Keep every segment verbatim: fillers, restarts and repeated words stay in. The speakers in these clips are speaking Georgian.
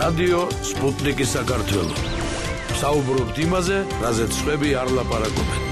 რადიო სპუტნიკი საქართველო. საუბრობთ იმაზე, რაზეც სხვები არ ლაპარაკობენ.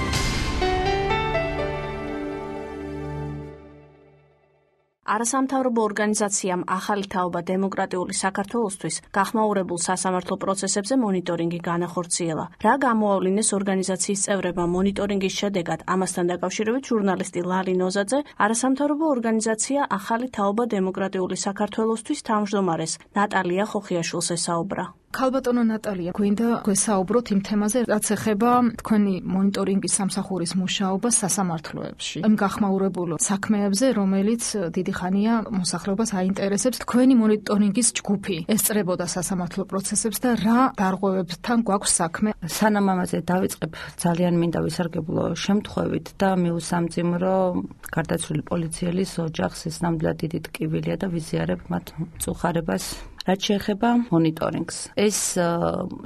არასამთავრობო ორგანიზაციამ ახალი თაობა დემოკრატიული საქართველოსთვის გახმაურებულ სასამართლო პროცესებზე მონიტორინგი განახორციელა. რა გამოავლინეს ორგანიზაციის წევრებმა მონიტორინგის შედეგად, ამასთან დაკავშირებით ჟურნალისტი ლალი ნოზაძე არასამთავრობო ორგანიზაცია ახალი თაობა დემოკრატიული საქართველოსთვის თავმჯდომარეს ნატალია ხოხიაშვილს ესაუბრა. ქალბატონო ნატალია, გვინდა გვესაუბროთ იმ თემაზე, რაც ეხება თქვენი მონიტორინგის სამსახურის მუშაობას სასამართლოებში. იმ გახმაურებულ საქმეებზე, რომელიც დიდი ხანია მოსახლეობას აინტერესებს, თქვენი მონიტორინგის ჯგუფი ესწრებოდა სასამართლო პროცესებს და რა დარღვევებთან გვაქვს საქმე? სანამ ამაზე დავიწყებ, ძალიან მინდა ვისარგებლო შემთხვევით და მიუსამძიმრო გარდაცვლილი პოლიციელის ოჯახს, ეს ნამდვილად დიდი ტკივილია და ვიზიარებ მათ მწუხარებას. რაც შეეხება მონიტორინგს. ეს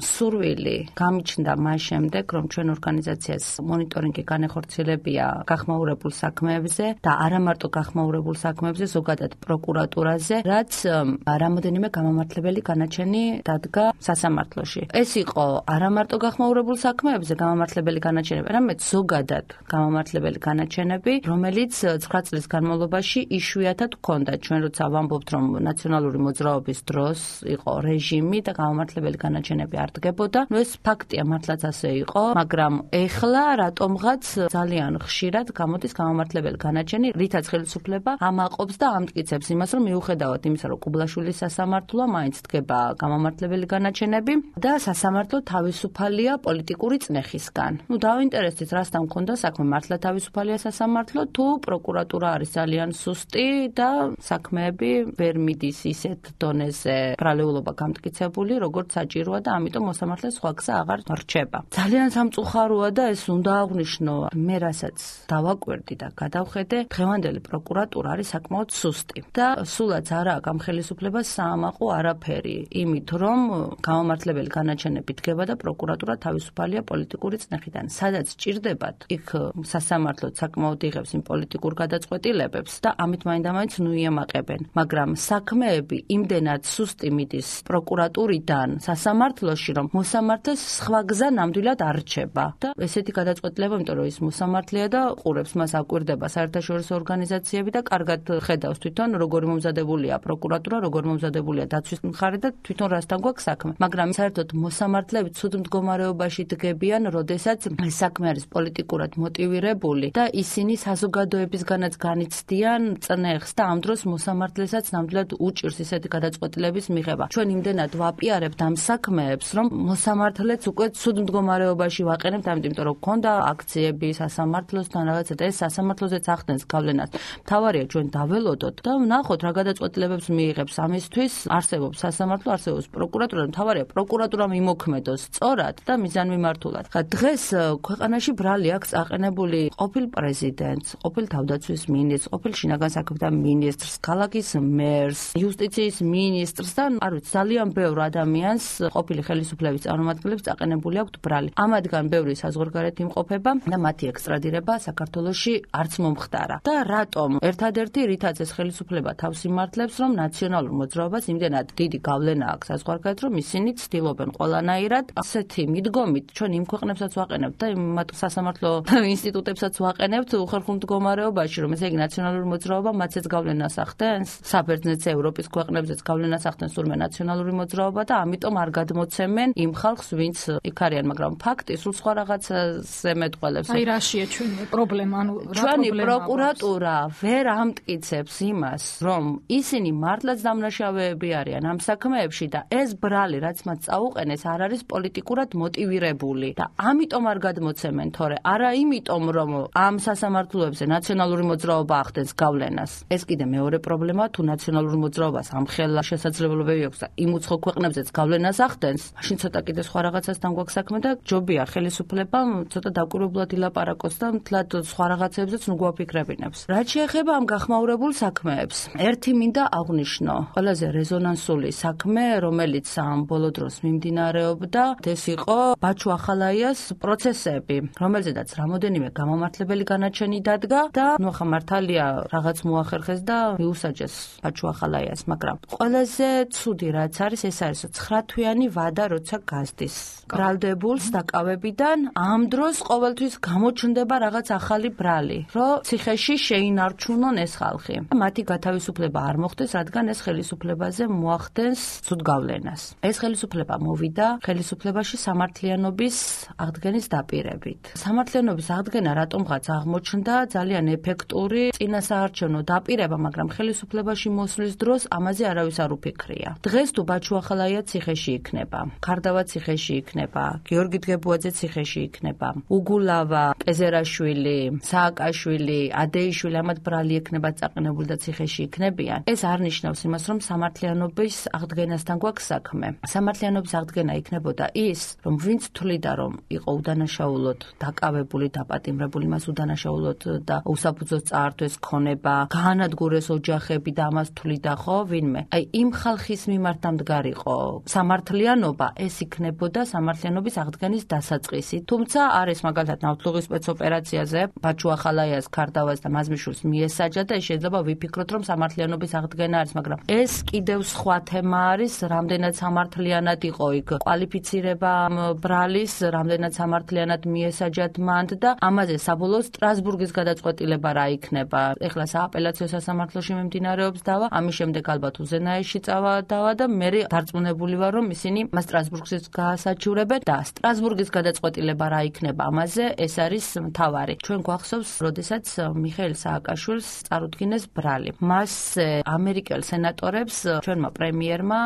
სურვილი გამიჩნდა მას შემდეგ, რომ ჩვენ ორგანიზაციას მონიტორინგი განეხორციელებია გახმაურებულ საქმეებზე და არა მარტო გახმაურებულ საქმეებზე, ზოგადად პროკურატურაზე, რაც რამოდენიმე გამამართლებელი განაჩენი დადგა სასამართლოში. ეს იყო არა მარტო გახმაურებულ საქმეებზე გამამართლებელი განაჩენები, არამედ ზოგადად გამამართლებელი განაჩენები, რომელიც ცხრა წლის განმავლობაში იშვიათად ჰქონდა. ჩვენ როცა ვამბობთ, რომ ნაციონალური მოძრაობის დროს იყო რეჟიმი და გამამართლებელი განაჩენები არ დგებოდა. ნუ ეს ფაქტია, მართლაც ასე იყო, მაგრამ ეხლა რატომღაც ძალიან ხშირად გამოდის გამამართლებელი განაჩენი, რითაც ხელისუფლება ამაყობს და ამტკიცებს იმას, რომ მიუხედავად იმისა, რომ კუბლაშვილის სასამართლოა, მაინც დგება გამამართლებელი განაჩენები და სასამართლო თავისუფალია პოლიტიკური წნეხისგან. ნუ დავინტერესდით, რასთან მქონდა საქმე, მართლა თავისუფალია სასამართლო, თუ პროკურატურა არის ძალიან სუსტი და საქმეები ვერ მიდის ისეთ დონეზე ბრალეულობა გამტკიცებული, როგორც საჭიროა და ამიტომ მოსამართლე სხვა გზა აღარ რჩება. ძალიან სამწუხაროა და ეს უნდა აღვნიშნო, მე რასაც დავაკვირდი და გადავხედე, დღევანდელი პროკურატურა არის საკმაოდ სუსტი და სულაც არა აქვს ამ ხელისუფლებას საამაყო არაფერი, იმით რომ გამამართლებელი განაჩენები დგება და პროკურატურა თავისუფალია პოლიტიკური წნეხიდან. სადაც ჭირდებათ, იქ სასამართლო საკმაოდ იღებს იმ პოლიტიკურ გადაწყვეტილებებს და ამით მაინდამაინც ნუ იემაყებენ, მაგრამ საქმეები იმდენად სუსტი მიდის პროკურატურიდან სასამართლოში, რომ მოსამართლეს სხვა გზა ნამდვილად არ რჩება და ესეთი გადაწყვეტილება, იმიტომ რომ ის მოსამართლეა და ყურებს მას აკვირდება საერთაშორისო ორგანიზაციები და კარგად ხედავს თვითონ როგორ მომზადებულია პროკურატურა, როგორ მომზადებულია დაცვის მხარე და თვითონ რასთან გვაქვს საქმე. მაგრამ საერთოდ მოსამართლეები ცუდ მდგომარეობაში დგებიან, როდესაც ეს საქმე არის პოლიტიკურად მოტივირებული და ისინი საზოგადოებისგანაც განიცდიან წნეხს და ამ დროს მოსამართლესაც ნამდვილად უჭირს ისეთი გადაწყვეტილების მიღება. ჩვენ იმდენად ვაპიარებთ ამ საქმეებს, რომ მოსამართლეც უკვე ცუდ მდგომარეობაში ვაყენებთ, ამიტომ რომ გქონდა აქციები სასამართლოსთან რაღაცა და ეს სასამართლოზეც ახდენს გავლენას. მთავარია ჩვენ დაველოდოთ და ვნახოთ რა გადაწყვეტილებებს მიიღებს. ამისთვის არსებობს სასამართლო, არსებობს პროკურატურა, მთავარია პროკურატურა მიმოქმედოს სწორად და მიზანმიმართულად. ხა დღეს ქვეყანაში ბრალი აქვს აყენებული ყოფილ პრეზიდენტს, ყოფილ თავდაცვის მინისტრს, ყოფილ შინაგან საქმეთა მინისტრს, ქალაქის მერს, იუსტიციის მინისტრს და არ ვიცი, ძალიან ბევრ ადამიანს ყოფილი ხელისუფლების წარმომადგენლებს წაყენებული აქვთ ბრალი. ამათგან ბევრი საზღვარგარეთ იმყოფება და მათი ექსტრადირება საქართველოში არც მომხდარა. და რატომ? ერთადერთი რითაც ეს ხელისუფლება თავს იმართლებს, რომ ნაციონალურ მოძრაობას იმდენად დიდი გავლენა აქვს საზღვარგარეთ, რომ ისინი ცდილობენ ყველანაირად ასეთი მიდგომით ჩვენ იმ ქვეყნებსაც ვაყენებთ და იმ სასამართლო ინსტიტუტებსაც ვაყენებთ უხერხულ მდგომარეობაში, რომ ესე იგი ნაციონალური მოძრაობა მათაც გავლენას ახდენს, საბერძნეთს, ევროპის ქვეყნებზეც გავლენას ახდენს თურმე ნაციონალური მოძრაობა და ამიტომ არ გადმოცემენ იმ ხალხს, ვინც იქ არიან, მაგრამ ფაქტი სულ სხვა რაღაცაზე მეტყველებს. აი რაშია ჩვენი პრობლემა, ანუ რა ჩვენი პროკურატურა ვერ ამტკიცებს იმას, რომ ისინი მართლაც დამნაშავეები არიან ამ საქმეებში და ეს ბრალი, რაც მათ წაუყენეს, არ არის პოლიტიკურად მოტივირებული და ამიტომ არ გადმოცემენ, თორე არა იმიტომ, რომ ამ სასამართლოებზე ნაციონალური მოძრაობა ახდენს გავლენას. ეს კიდე მეორე პრობლემა, თუ ნაციონალური მოძრაობას ამხელა შესაძლებლობები აქვს და იმ უცხო ქვეყნებზეც გავლენას ახდენს, მაშინ ცოტა კიდე სხვა რაღაცასთან გვაქვს საქმე და ჯობია ხელისუფლებამ ცოტა დაკვირვებლად ილაპარაკოს და მთლად სხვა რაღაცებზეც ნუ გვაფიქრებინებს. რაც შეეხება ამ გახმაურებულ საქმეებს, ერთი მინდა აღვნიშნო, ყველაზე რეზონანსული საქმე, რომელიც ამ ბოლო დროს მიმდინარეობდა, ეს იყო ბაჩუ ახალაიას პროცესები, რომელზედაც რამოდენიმე გამამართლებელი განაჩენი დადგა და ნუ ახლა მართალია რაღაც მოახერხეს და მიუსაჯეს ბაჩუ ახალაიას, მაგრამ ყველაზე ცუდი რაც არის, ეს არის ცხრათვიანი ვადა, როცა გასდის ბრალდებულს დაკავებიდან, ამ დროს ყოველთვის გამოჩნდება რაღაც ახალი ბრალი, რომ ციხეში შეინარჩუნონ ეს ხალხი. მათი გათავისუფლება არ მოხდეს, რადგან ეს ხელისუფლებაზე მოახდენს ცუდ გავლენას. ეს ხელისუფლება მოვიდა ხელისუფლებაში სამართლიანობის აღდგენის დაპირებით. სამართლიანობის აღდგენა რატომღაც აღმოჩნდა ძალიან ეფექტური წინასაარჩევნო დაპირება, მაგრამ ხელისუფლებაში მოსვლის დროს ამაზე არავის არ უფიქრია. დღეს თუ ბაჩუ ახალაია ციხეში იქნება, ქარდავა ციხეში იქნება, გიორგი დგებუაძე ციხეში იქნება, უგულავა, პეზერაშვილი, სააკაშვილი, ადეიშვილი ამათ ბრალი იქნება წაყენებული და ციხეში იქნებიან. ეს არ ნიშნავს იმას, რომ სამართლიანობის აღდგენასთან გვაქვს საქმე. სამართლიანობის აღდგენა იქნებოდა ის, რომ ვინც თვლიდა, რომ იყო უდანაშაულოდ დაკავებული, დაპატიმრებული, მას უდანაშაულოდ და უსაფუძოდ წაართვეს ქონება, გაანადგურეს ოჯახები და ამას თვლიდა ხო ვინმე. აი იმ ხალხის მიმართ დამდგარიყო სამართლიანობა, ეს იქნებოდა სამართლიანობის აღდგენის დასაწყისი. თუმცა არის მაგალითად ნავთლუღის სპეცოპერაციაზე ბაჩუ ახალაიას ქარდავას და მაზმიშვილს მიესაჯა და შეიძლება ვიფიქროთ, რომ სამართლიანობის აღდგენა არის, მაგრამ ეს კიდევ სხვა თემა არის, რამდენად სამართლიანად იყო იქ კვალიფიცირება ბრალის, რამდენად სამართლიანად მიესაჯათ მანდ და ამაზე საბოლოოდ სტრასბურგის გადაწყვეტილება რა იქნება. ეხლა სააპელაციო სასამართლოში მიმდინარეობს დავა, ამის შემდეგ ალბათ უზენაეში წავა დავა და მე დარწმუნებული ვარ, რომ ისინი მას სტრასბურგის გაასაჩივრებენ და სტრასბურგის გადაწყვეტილება რა იქნება ამაზე, ეს არის მთავარი. ჩვენ გვახსოვს, როდესაც მიხეილ სააკაშვილს წარუდგინეს ბრალი. მას ამერიკელ სენატორებს ჩვენმა პრემიერმა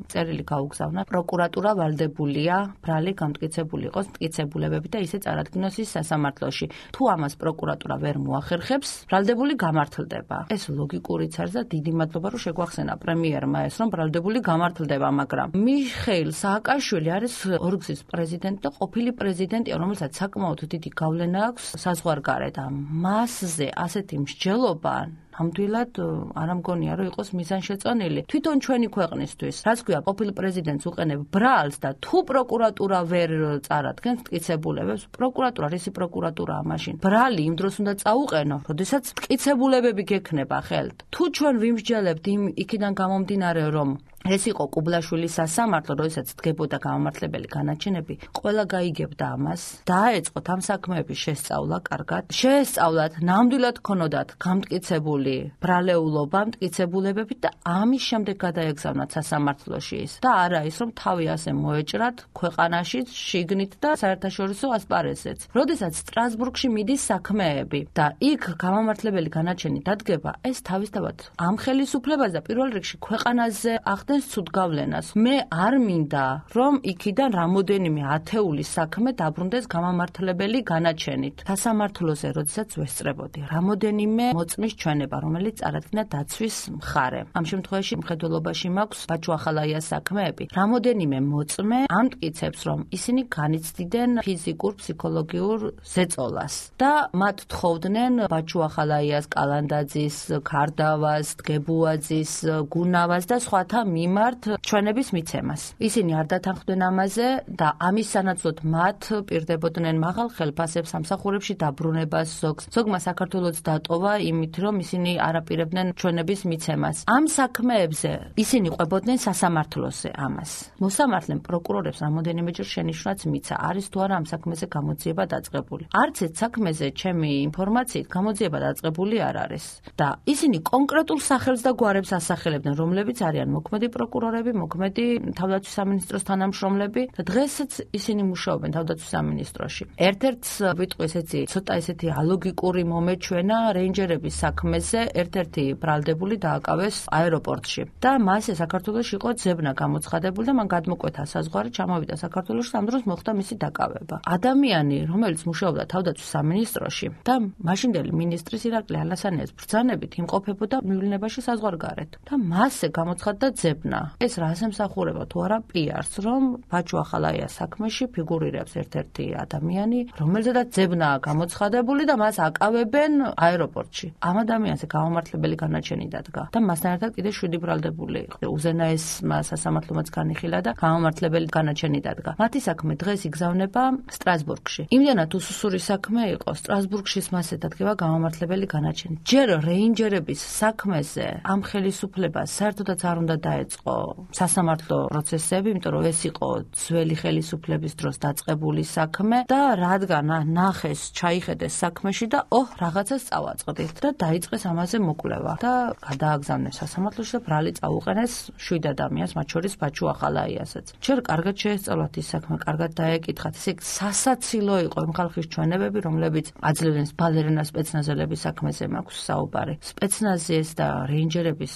წერილი გაუგზავნა, პროკურატურა ვალდებულია ბრალი გამტკიცებული იყოს მტკიცებულებები და ისე წარადგინოს ის სასამართლოში. თუ ამას პროკურატურა ვერ მოახერხებს, ბრალდებული გამართლდება. ეს ლოგიკურიც არის და დიდი მადლობა, რომ შეგვახსენა პრემიერმა ეს, რომ ბრალდებული გამართლდება, მაგრამ მიხეილ სააკაშვილი არის ორგზის პრეზიდენტი და ყოფილი პრეზიდენტია, რომელსაც საკმაოდ დიდი გავლენა აქვს საზღვარგარეთ. მასზე ასეთი მსჯელობა ნამდვილად არ ამგონია, რომ იყოს მიზანშეწონილი. თვითონ ჩვენი ქვეყნისთვის, რაც ქვია, ყოფილ პრეზიდენტს უყენებ ბრალს და თუ პროკურატურა ვერ წარადგენს მტკიცებულებებს, პროკურატურა, რისი პროკურატურაა მაშინ? ბრალი იმ დროს უნდა წაუყენო, როდესაც მტკიცებულებები გექნება ხელთ. თუ ჩვენ ვიმსჯელებთ იმ იქიდან გამომდინარე, რომ ეს იყო კუბლაშვილის სასამართლო, როდესაც დგებოდა გამომართლებელი განაჩენები, ყველა გაიგებდა ამას, დაეწყოთ ამ საქმეების შესწავლა კარგად. შეესწავლათ, ნამდვილად ქონოდათ გამტკიცებული ბრალეულობა, მტკიცებულებები და ამის შემდეგ გადაეგზავნათ სასამართლოში ის. და არა ის, რომ თავი ასე მოეჭრათ ქვეყანაში, შიგნით და საერთაშორისო ასპარეზზეც. როდესაც სტრასბურგში მიდის საქმეები და იქ გამომართლებელი განაჩენი დადგება, ეს თავისთავად ამ ხელისუფლებას და პირველ რიგში ქვეყანაზე ახდენს ცუდ გავლენას. მე არ მინდა, რომ იქიდან რამოდენიმე ათეული საქმე დაბრუნდეს გამომართლებელი განაჩენით. სასამართლოზე, როდესაც ვესწრებოდი, რამოდენიმე მოწმის ჩვენება, რომელიც წარადგინა დაცვის მხარე. ამ შემთხვევაში მხედველობაში მაქვს ბაჩუ ახალაიას საქმეები. რამოდენიმე მოწმე ამტკიცებს, რომ ისინი განიცდიდნენ ფიზიკურ, ფსიქოლოგიურ ზეწოლას და მათ თხოვდნენ ბაჩუ ახალაიას, კალანდაძის, ქარდავას, დგებუაძის, გუნავას და სხვათა მიმართ ჩვენების მიცემას. ისინი არ დათანხმდნენ ამაზე და ამის სანაცვლოდ მათ პირდებოდნენ მაღალ ხელფასებს, სამსახურებში დაბრუნებას ზოგს. ზოგმა საქართველოს დატოვა იმით, რომ ისინი არაპირებდნენ ჩვენების მიცემას. ამ საქმეებზე ისინი ყვებოდნენ სასამართლოზე ამას. მოსამართლემ პროკურორებს რამოდენიმეჯერ შენიშვნაც მიცა, არის თუ არა ამ საქმეზე გამოძიება დაწყებული. არც ერთ საქმეზე ჩემი ინფორმაციით გამოძიება დაწყებული არ არის. და ისინი კონკრეტულ სახელს და გვარებს ასახელებდნენ, რომლებიც არიან მოქმედი პროკურორები, მოქმედი თავდაცვის სამინისტროს თანამშრომლები და დღესაც ისინი მუშაობენ თავდაცვის სამინისტროში. ერთ-ერთს ვიტყვი ესეთი ცოტა ესეთი ალოგიკური მომეჩვენა რეინჯერების საქმეზე, ერთ-ერთი ბრალდებული დააკავეს აეროპორტში და მასე საქართველოში იყო ძებნა გამოცხადებული და მან გადმოკვეთა საზღვარი, ჩამოვიდა საქართველოში, ამ დროს მოხდა მისი დაკავება. ადამიანი, რომელიც მუშაობდა თავდაცვის სამინისტროში და მაშინდელი მინისტრის ირაკლი ალასანიას ბრძანებით იმყოფებოდა მივლინებაში საზღვარგარეთ და მასე გამოცხადდა ძებნა. ეს რას ემსახურება თუ არა პიარს, რომ ბაჩუ ახალაიას საქმეში ფიგურირებს ერთ-ერთი ადამიანი, რომელზედაც ძებნაა გამოცხადებული და მას აკავებენ აეროპორტში. ამ ადამიანზე გამომართლებელი განაჩენი დადგა და მასთან ერთად კიდე შვიდი ბრალდებული იყო. უზენაესმა სასამართლომაც განიხილა და გამომართლებელი განაჩენი დადგა. მათი საქმე დღეს იგზავნება სტრასბურგში. იმდენად უსუსური საქმე იყო, სტრასბურგში მასე დადგება გამომართლებელი განაჩენი. ჯერ რეინჯერების საქმეზე ამ ხელისუფლებას საერთოდაც არ უნდა დაეწყო დაიწყო სასამართლო პროცესები, იმიტომ რომ ეს იყო ძველი ხელისუფლების დროს დაწყებული საქმე და რადგან ნახეს, ჩაიხედეს საქმეში და ოჰ, რაღაცას წავაწყდით და დაიწყეს ამაზე მოკვლევა და გადააგზავნეს სასამართლოში და ბრალი წაუყენეს შვიდ ადამიანს, მათ შორის ბაჩუ ახალაიასაც. Ჯერ კარგად შეესწავლათ ის საქმე, კარგად დაეკითხათ. ესე სასაცილო იყო იმ ხალხის ჩვენებები, რომლებიც აძლევდნენ ბალერენა სპეცნაზელების საქმეზე მაქვს საუბარი. სპეცნაზის და რეინჯერების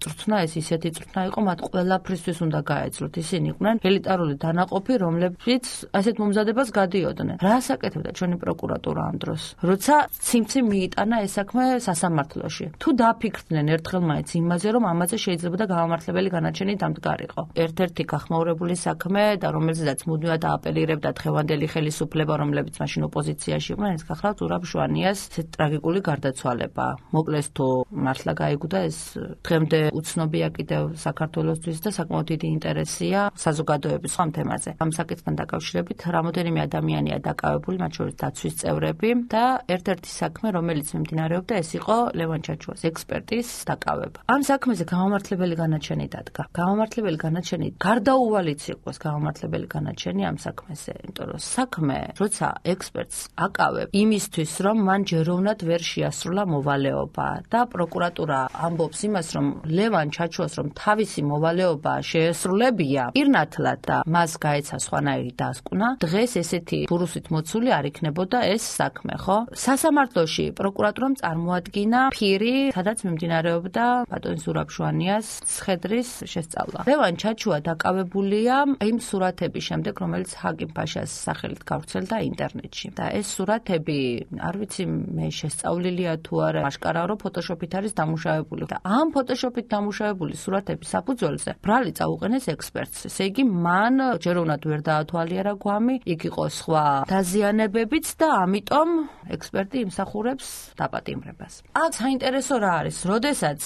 წვრთნა ეს ისეთი წვრთნა იყო, მათ ყველაფრისთვის უნდა გაეძლოთ. ისინი იყვნენ ელიტარული დანაყოფი, რომლებიც ასეთ მომზადებას გადიოდნენ. რა საკეთებდა ჩვენი პროკურატურა ამ დროს? როცა ციმციმ მიიტანა ეს საქმე სასამართლოში. თუ დაფიქრდნენ ერთხელ მაინც იმაზე, რომ ამაზე შეიძლება და გამამართლებელი განაჩენი დამდგარიყო. ერთ-ერთი გახმაურებული საქმე და რომელზეც მუდმივად დააპელირებდა დღევანდელი ხელისუფლება, რომლებიც მაშინ ოპოზიციაში იყვნენ, ეს გახლავთ ზურაბ შვანიას ტრაგიკული გარდაცვალება. მოკლეს თუ მართლა გაიგუდა ეს დღემდე უცნობია კიდევ საქართველოსთვის და საკმაოდ დიდი ინტერესია საზოგადოების ამ თემაზე. ამ საკითხთან დაკავშირებით რამოდენიმე ადამიანია დაკავებული, მათ შორის დაცვის წევრები და ერთ-ერთი საქმე, რომელიც მიმდინარეობდა, ეს იყო ლევან ჩაჩუას ექსპერტის დაკავება. ამ საქმეზე გამამართლებელი განაჩენი დადგა. გამამართლებელი განაჩენი გარდაუვალიც იყოს გამამართლებელი განაჩენი ამ საქმეზე, იმიტომ რომ საქმე, როცა ექსპერტს აკავებ იმისთვის, რომ მან ჯეროვნად ვერ შეასრულა მოვალეობა და პროკურატურა ამბობს იმას, რომ ლევან ჩაჩუას რომ თავისი მოვალეობა შეესრულებია, პირნათლად და მას გაეცა სხვანაირი დასკვნა, დღეს ესეთი ბურუსით მოცული არ იქნებოდა ეს საქმე, ხო? სასამართლოში პროკურატურამ წარმოადგინა ფირი, სადაც მიმდინარეობდა ბატონ ზურაბ შვანიას ცხედრის შესწავლა. ლევან ჩაჩუა დაკავებულია იმ სურათების შემდეგ, რომელიც ჰაკიმ ფაშას სახელით გავრცელდა ინტერნეტში. და ეს სურათები, არ ვიცი მე შესწავლილია თუ არა, აშკარაა რომ ფოტოშოპით არის დამუშავებული. და ამ ფოტოშოპით დამუშავებული სურათების საფუძველზე ბრალი წაუყენეს ექსპერტს. ესე იგი, მან ჯეროვნად ვერ დაათვალიერა გვამი, იქ იყო სხვა დაზიანებებიც და ამიტომ ექსპერტი იმსახურებს დაპატიმრებას. აქ საინტერესო რა არის, როდესაც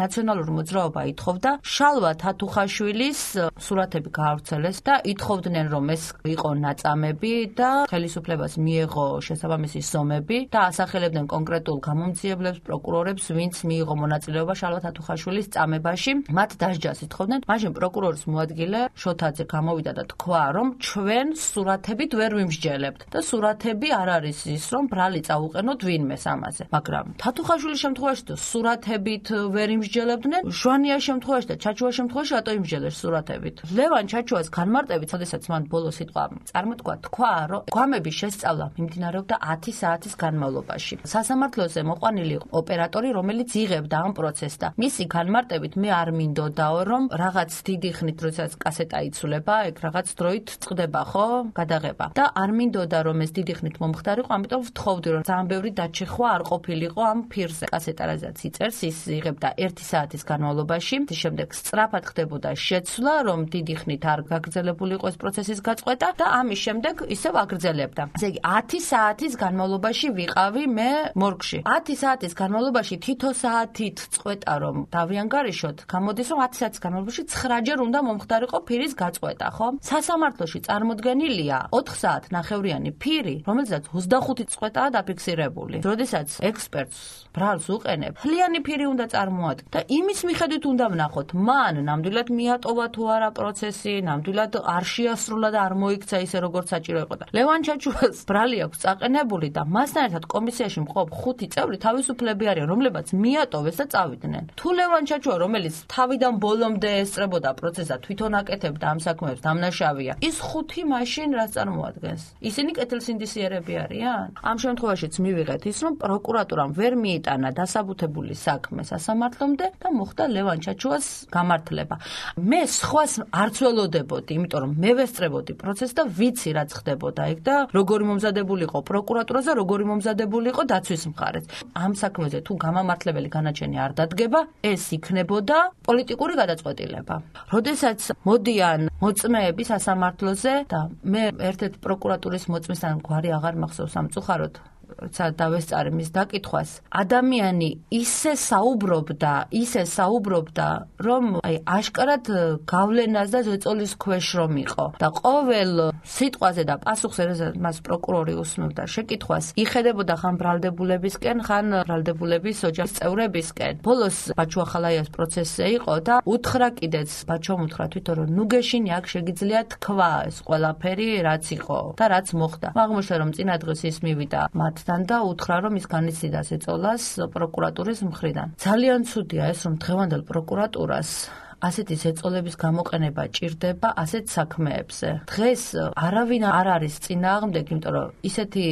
ნაციონალური მოძრაობა ითხოვდა შალვა თათუხაშვილის სურათები გაავრცელეს და ითხოვდნენ რომ ეს იყო ნაწამები და ხელისუფლებას მიეღო შესაბამისი ზომები და ასახელებდნენ კონკრეტულ გამომძიებლებს, პროკურორებს, ვინც მიიღო მონაწილეობა შალვა თათუხაშვილის წამებაში, მათ დასჯას ითხოვდნენ. მაშინ პროკურორის მოადგილე შოთაძე გამოვიდა და თქვა, რომ ჩვენ სურათებით ვერ ვიმსჯელებთ და სურათები არ არის ის, რომ ბრალი წაუყენოთ ვინმეს ამაზე. მაგრამ თათუხაშვილის შემთხვევაში და სურათებით ვერ იმსჯელებდნენ, შვანიას შემთხვევაში და ჩაჩუას შემთხვევაში რატო იმსჯელებს სურათებით? ლევან ჩაჩუას განმარტებით, შესაძაც მან ბოლო სიტყვა წარმოთქვა, თქვა, რომ გვამების შესწავლა მიმდინარეობდა ათი საათის განმავლობაში. სასამართლოზე მოყვანილი ოპერატორი, რომელიც იღებდა ამ პროცესს და მისი განმარტებით მე არ მინდოდაო, რომ რაღაც დიდი ხნით, როდესაც კასეტა იცვლება, ეგ რაღაც დროით წყდება, ხო, გადაღება. და არ მინდოდა რომ ეს დიდი ხნით მომხდარიყო, ამიტომ ვთხოვდი, რომ ძალიან ბევრი დაჩეხვა არ ყოფილიყო ამ ფირზე. კასეტა რაზეც იწერს, ის იღებდა ერთი საათის განმავლობაში, შემდეგ სწრაფად ხდებოდა შეცვლა, რომ დიდი ხნით არ გაგრძელებული იყო ეს პროცესის გაწყვეტა და ამის შემდეგ ისევ აგრძელებდა. ესე იგი, ათი საათის განმავლობაში ვიყავი მე მორგში. ათი საათის განმავლობაში თითო საათით წყვეტა რომ დავიანგარიშოთ, გამოდის რომ ათი საათის განმავლობაში ცხრაჯერ უნდა მომხდარიყო ფირის გაწყვეტა, ხო? სასამართლოში წარმოდგენილია ოთხ საათ ნახევრიანი ფირი, რომელსაც ოცდახუთი წყვეტაა დაფიქსირებული. როდესაც ექსპერტს ბრალს უყენებ, მთლიანი ფირი უნდა წარმოადგინო და იმის მიხედვით უნდა ვნახოთ, მან ნამდვილად მიატოვა თუ არა პროცესი, ნამდვილად არ შეასრულა და არ მოიქცა ისე როგორც საჭირო იყო და ლევან ჩაჩუას ბრალი აქვს წაყენებული და მასთან ერთად კომისიაში მყოფ ხუთი წევრი თავისუფლები არიან, რომლებაც მიატოვეს და წავიდნენ. თუ ლევან ჩაჩუა, რომელიც თავიდან ბოლომდე ესწრებოდა პროცესს და თვითონ აკეთებდა ამ საქმეებს, დამნაშავეა, ის ხუთი მაშინ რას წარმოადგენს? ისინი კეთილსინდისიერები არიან? ამ შემთხვევაშიც მივიღეთ ის, რომ პროკურატურამ ვერ მიიტანა დასაბუთებული საქმე სასამართლომდე და მოხდა ლევან ჩაჩუას გამართლება. მე სხვას არც ველოდებოდი, იმიტომ რომ მე ვესწრებოდი პროცესს და ვიცი რაც ხდებოდა იქ და როგორი მომზადებული იყო პროკურატურაზე, როგორი მომზადებული იყო დაცვის მხარეს. ამ საქმეზე თუ გამამართლებელი განაჩენი არ დადგება, ეს იქნებოდა პოლიტიკური გადაწყვეტილება. როდესაც მოდიან მოწმეები სასამართლოზე და მე ერთ-ერთ პროკურატურის მოწმესთან გვარი აღარ მახსოვს სამწუხაროდ როცა დავესწარი მის დაკითხვას, ადამიანი ისე საუბრობდა, ისე საუბრობდა, რომ აი აშკარად გავლენას და ზეწოლის ქვეშ რომ იყო. და ყოველ სიტყვაზე და პასუხზე, როდესაც მას პროკურორი უსმენდა შეკითხვას, იხედებოდა ხან ბრალდებულებისკენ, ხან ბრალდებულების ოჯახის წევრებისკენ. ბოლოს ბაჩუ ახალაიას პროცესზე იყო და უთხრა კიდეც ბაჩომ უთხრა თვითონ რომ ნუ გეშინი აქ შეგიძლია თქვა ეს ყველაფერი რაც იყო და რაც მოხდა. აღმოჩნდა რომ წინა დღეს ის მივიდა მათთან და უთხრა რომ ის განიცდიდა ზეწოლას პროკურატურის მხრიდან. ძალიან ცუდია ეს რომ დღევანდელ პროკურატურას ასეთი ზეწოლების გამოყენება ჭირდება ასეთ საქმეებზე. დღეს არავინ არ არის წინააღმდეგ, იმიტომ რომ ისეთი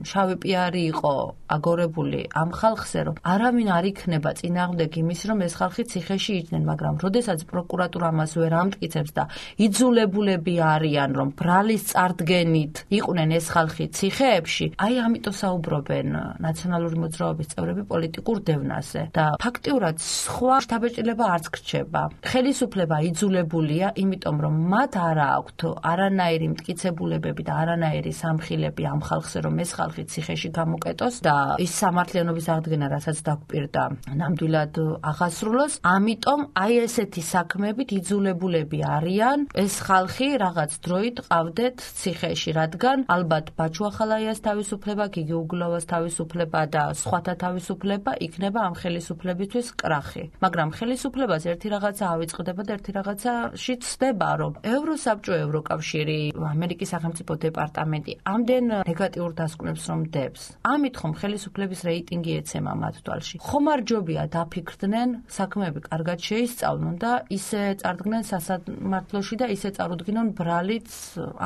შავი პიარი იყო აგორებული ამ ხალხზე, რომ არავინ არ იქნება წინააღმდეგ იმის, რომ ეს ხალხი ციხეში იჯდნენ, მაგრამ როდესაც პროკურატურა ამას ვერ ამტკიცებს და იძულებულები არიან, რომ ბრალის წარდგენით იყვნენ ეს ხალხი ციხეებში, აი ამიტომ საუბრობენ ნაციონალური მოძრაობის წევრები პოლიტიკურ დევნაზე და ფაქტიურად სხვა შთაბეჭდილება არც გრჩება. ხელისუფლება იძულებულია, იმიტომ რომ მათ არ აქვთ არანაირი მტკიცებულებები და არანაირი სამხილები ამ ხალხზე, რომ ეს ხალხი ციხეში გამოკეტოს და ის სამართლიანობის აღდგენა, რასაც დაგვპირდა, ნამდვილად აღასრულოს. ამიტომ აი ესეთი საქმეებით იძულებულები არიან ეს ხალხი რაღაც დროით ყავდეთ ციხეში, რადგან ალბათ ბაჩუ ახალაიას თავისუფლება, გიგი უგულავას თავისუფლება და სხვათა თავისუფლება იქნება ამ ხელისუფლებისთვის კრახი. მაგრამ ხელისუფლებას ერთი რაღაცა ავიწყდება და ერთი რაღაცაში ცდება, რომ ევროსაბჭო, ევროკავშირი, ამერიკის სახელმწიფო დეპარტამენტი ამდენ ნეგატიურ დასკვნებს რომ დებს. ამით ხომ ხელისუფლების რეიტინგი ეცემა მათ თვალში. ხომარჯობია დაფიქრდნენ, საქმეები კარგად შეისწავლონ და ისე წარდგნენ სასამართლოში და ისე წარუდგინონ ბრალიც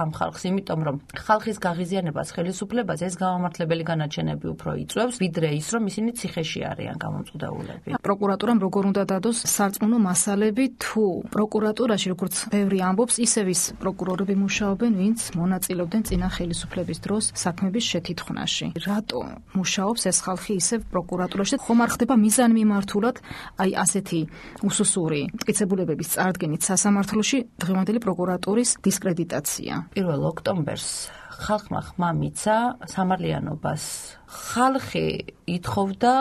ამ ხალხს, იმიტომ რომ ხალხის გაღიზიანებას ხელისუფლებას ეს გამამართლებელი განაჩენები უფრო იწვევს, ვიდრე ის რომ ისინი ციხეში არიან გამომწყვდაულები. პროკურატურამ როგორ უნდა დადოს სარწმუნო მასალები, თუ პროკურატურაში, როგორც ბევრი ამბობს, ისევ ის პროკურორები მუშაობენ, ვინც მონაწილეობდნენ წინა ხელისუფლების დროს საქმების შეთითხვნაში. რატო მუშაობს ეს ხალხი ისევ პროკურატურაში? ხომ არ ხდება მიზანმიმართულად აი ასეთი უსუსური მტკიცებულებების წარდგენით სასამართლოში დღევანდელი პროკურატურის დისკრედიტაცია? პირველ ოქტომბერს ხალხმა ხმა მიცა სამართლიანობას. ხალხი ითხოვდა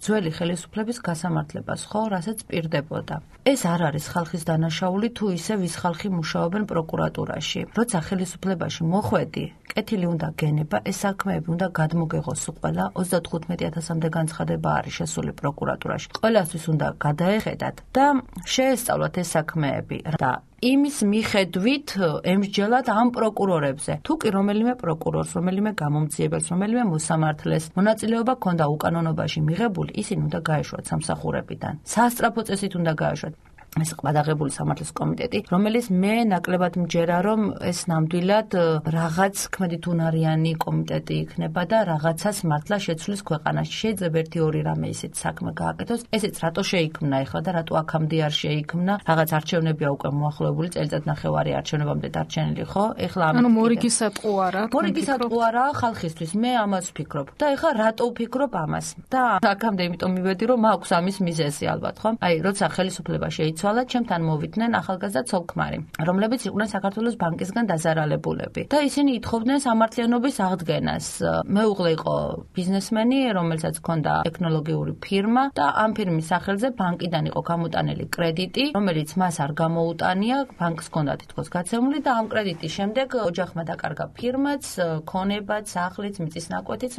ძველი ხელისუფლების გასამართლებას, ხო, რასაც პირდებოდა. ეს არ არის ხალხის დანაშაული, თუ ისევ ის ხალხი მუშაობენ პროკურატურაში. როცა ხელისუფლებაში მოხვედი, კეთილი უნდა გენება, ეს საქმეები უნდა გადმოგეღოს ყველა. ოცდათხუთმეტი ათასამდე განცხადება არის შესული პროკურატურაში. ყველასთვის უნდა გადაეხედათ და შეესწავლათ ეს საქმეები და იმის მიხედვით ემსჯელათ ამ პროკურორებზე. თუ კი რომელიმე პროკურორს, რომელიმე გამომძიებელს, რომელიმე მოსამართლეს მონაწილეობა ქონდა უკანონობაში მიღებული, ისინი უნდა გაეშვათ სამსახურებიდან. სასწრაფო წესით უნდა გაეშვათ. ეს ყბადაღებული სამართლის კომიტეტი, რომელიც მე ნაკლებად მჯერა, რომ ეს ნამდვილად რაღაც ქმედით უნარიანი კომიტეტი იქნება და რაღაცას მართლა შეცვლის ქვეყანაში. შეიძლება ერთი ორი რამე ისეთ საქმე გააკეთოს. ესეც რატო შეიქმნა ახლა და რატო აქამდე არ შეიქმნა? რაღაც არჩევნებია უკვე მოახლოებული, წელიწად ნახევარი არჩევნებამდე დარჩენილი, ხო? ეხლა ამით ანუ მორიგისატყუ არა? მორიგისატყუ არა ხალხისთვის. მე ამას ვფიქრობ. და ეხლა რატო ვფიქრობ ამას? და აქამდე იმიტომ მივედი, რომ მაქვს ამის მიზეზი ალბათ, ხო? აი, როცა ხელისუფლება შეიცვალა, ჩემთან მოვიდნენ ახალგაზრდა ცოლ-ქმარი, რომლებიც იყვნენ საქართველოს ბანკისგან დაზარალებულები და ისინი ითხოვდნენ სამართლიანობის აღდგენას. მეუღლე იყო ბიზნესმენი, რომელსაც ჰქონდა ტექნოლოგიური ფირმა და ამ ფირმის სახელზე ბანკიდან იყო გამოტანილი კრედიტი, რომელიც მას არ გამოუტანია, ბანკს ჰქონდა თითქოს გაცემული და ამ კრედიტის შემდეგ ოჯახმა დაკარგა ფირმაც, ქონებაც, სახლიც, მიწის ნაკვეთიც,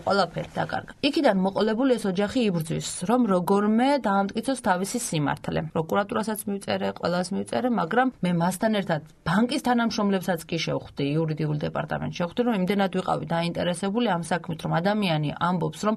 ყველაფერი დაკარგა. იქიდან მოყოლებული ეს ოჯახი იბრძვის, რომ როგორმე დაამტკიცოს თავისი სიმართლე. პროკურატურასაც მივწერე, ყველას მივწერე, მაგრამ მე მასთან ერთად ბანკის თანამშრომლებსაც კი შევხვდი, იურიდიულ დეპარტამენტში შევხვდი, რომ იმდენად ვიყავი დაინტერესებული ამ საქმით, რომ ადამიანი ამბობს, რომ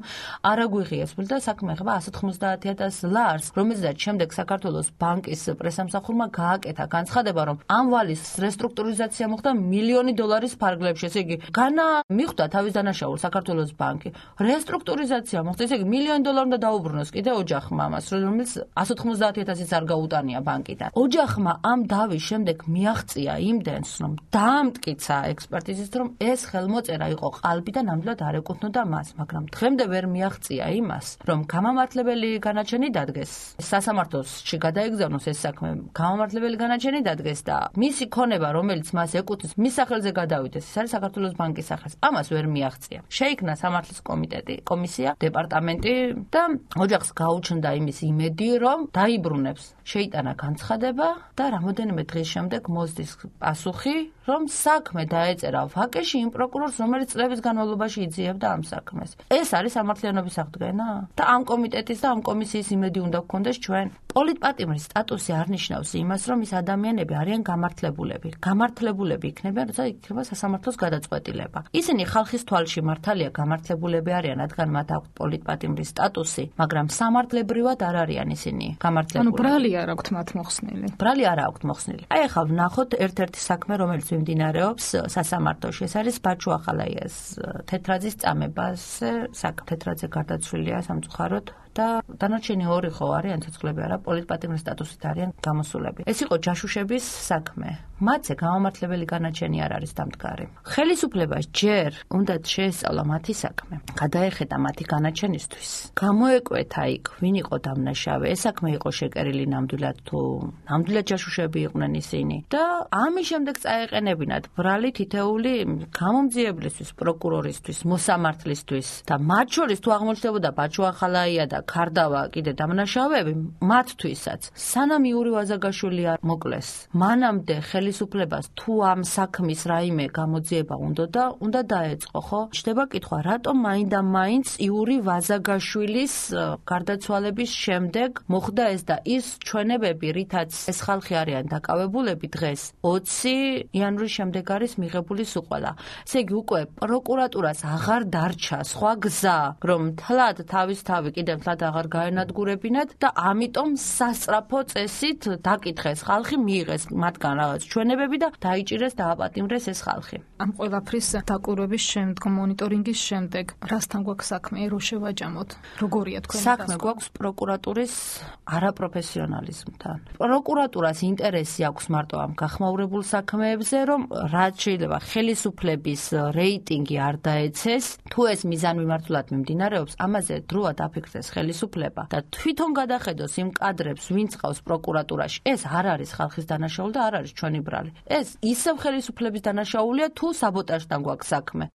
არ აგვიღიესმულ და საქმე ხება ასი ოცდაათი ათას ლარს, რომელზეც შემდეგ საქართველოს ბანკის პრესამსახურმა გააკეთა განცხადება, რომ ამ ვალის რესტრუქტურიზაცია მოხდა მილიონი დოლარის ფარგლებში. ესე იგი, განა მიხვდა თავის დანაშაულს საქართველოს ბანკი. რესტრუქტურიზაცია მოხდა, ესე იგი, მილიონი დოლარი უნდა დაუბრუნოს კიდე ოჯახმა ამას, რომელიც ასი ოცდაათი ათასიც არ შეუტანია ბანკიდან. ოჯახმა ამ დავის შემდეგ მიაღწია იმდენს, რომ დაამტკიცა ექსპერტიზის, რომ ეს ხელმოწერა იყო ყალბი და ნამდვილად არ ეკუთვნოდა მას, მაგრამ დღემდე ვერ მიაღწია იმას, რომ გამამართლებელი განაჩენი დადგეს. სასამართლოში გადაეგზავნოს ეს საქმე, გამამართლებელი განაჩენი დადგეს და მისი ქონება, რომელიც მას ეკუთვნის, მის სახელზე გადავიდეს, ეს არის საქართველოს ბანკის სახელს. ამას ვერ მიაღწია. შეიქმნა სამართლის კომიტეტი, კომისია, დეპარტამენტი და ოჯახს გაუჩნდა იმის იმედი, რომ დაიბრუნებს. შეიტანა განცხადება და რამოდენიმე დღის შემდეგ მოსდის პასუხი, რომ საქმე დაეწერა ვაკეში იმ პროკურორს, რომელიც წლების განმავლობაში იძიებდა ამ საქმეს. ეს არის სამართლიანობის აღდგენა? და ამ კომიტეტის და ამ კომისიის იმედი უნდა გქონდეს ჩვენ. პოლიტპატიმრის სტატუსი არ ნიშნავს იმას, რომ ის ადამიანები არიან გამართლებულები. გამართლებულები იქნებიან, როცა იქნება სასამართლოს გადაწყვეტილება. ისინი ხალხის თვალში მართალია გამართლებულები არიან, რადგან მათ აქვთ პოლიტპატიმრის სტატუსი, მაგრამ სამართლებრივად არ არიან ისინი გამართლებულები. ანუ ბრალი არ აქვთ მათ მოხსნილი. ბრალი არ აქვთ მოხსნილი. აი ახლა ვნახოთ ერთ-ერთი საქმე, რომელიც მიმდინარეობს სასამართლოში. ეს არის ბაჩუ ახალაიას თეთრაძის წამებას საქმე. თეთრაძე გარდაცვლილია სამწუხაროდ და დანარჩენი ორი ხო არიან ცოცხლები არა პოლიტპატიმრის სტატუსით არიან გამოსულები. ეს იყო ჯაშუშების საქმე. მათზე გამამართლებელი განაჩენი არ არის დამდგარი. ხელისუფლებას ჯერ უნდა შეესწავლა მათი საქმე. გადაეხედა მათი განაჩენისთვის. გამოეკვეთა იქ ვინ იყო დამნაშავე. ეს საქმე იყო შეკერილი ნამდვილად თუ ნამდვილად ჯაშუშები იყვნენ ისინი და ამის შემდეგ წაეყენებინათ ბრალი თითეული გამომძიებლისთვის, პროკურორისთვის, მოსამართლისთვის და მათ შორის თუ აღმოჩნდებოდა ბაჩუ ახალაია და ქარდავა კიდე დამნაშავეები, მათთვისაც სანამ იური ვაზაგაშვილი არ მოკლეს, მანამდე ხელისუფლებას თუ ამ საქმის რაიმე გამოძიება უნდა და უნდა დაეწყო, ხო? ჩდება კითხვა, რატომ მაინდა მაინც იური ვაზაგაშვილის გარდაცვალების შემდეგ მოხდა ეს და ის ჩვენებები, რითაც ეს ხალხი არიან დაკავებულები დღეს ოცი იანვრის შემდეგ არის მიღებული სუყვალა. ესე იგი უკვე პროკურატურას აღარ დარჩა სხვა გზა, რომ თლად თავის თავი კიდევ თლად აღარ გაენადგურებინათ და ამიტომ სასწრაფო წესით დაკითხეს ხალხი, მიიღეს მათგან რაღაც ჩვენებები და დაიჭირეს დააპატიმრეს ეს ხალხი. ამ ყველაფრის დაკვირვების შემდგომ, მონიტორინგის შემდეგ, რასთან გვაქვს საქმე, რო შევაჯამოთ? როგორია თქვენი საქმე გვაქვს პროკურატურის არაპროფესიონალიზმთან. პროკურატურას ინტერესი აქვს მარტო ამ გახმაურებულ საქმეებზე, რომ რაც შეიძლება ხელისუფლების რეიტინგი არ დაეცეს, თუ ეს მიზანმიმართულად მიმდინარეობს, ამაზე დროა დაფიქრდეს ხელისუფლება და თვითონ გადახედოს იმ კადრებს, ვინც ყავს პროკურატურაში. ეს არ არის ხალხის დანაშაული და არ არის ჩვენი ბრალი. ეს ისევ ხელისუფლების დანაშაულია, თუ საბოტაჟთან გვაქვს საქმე.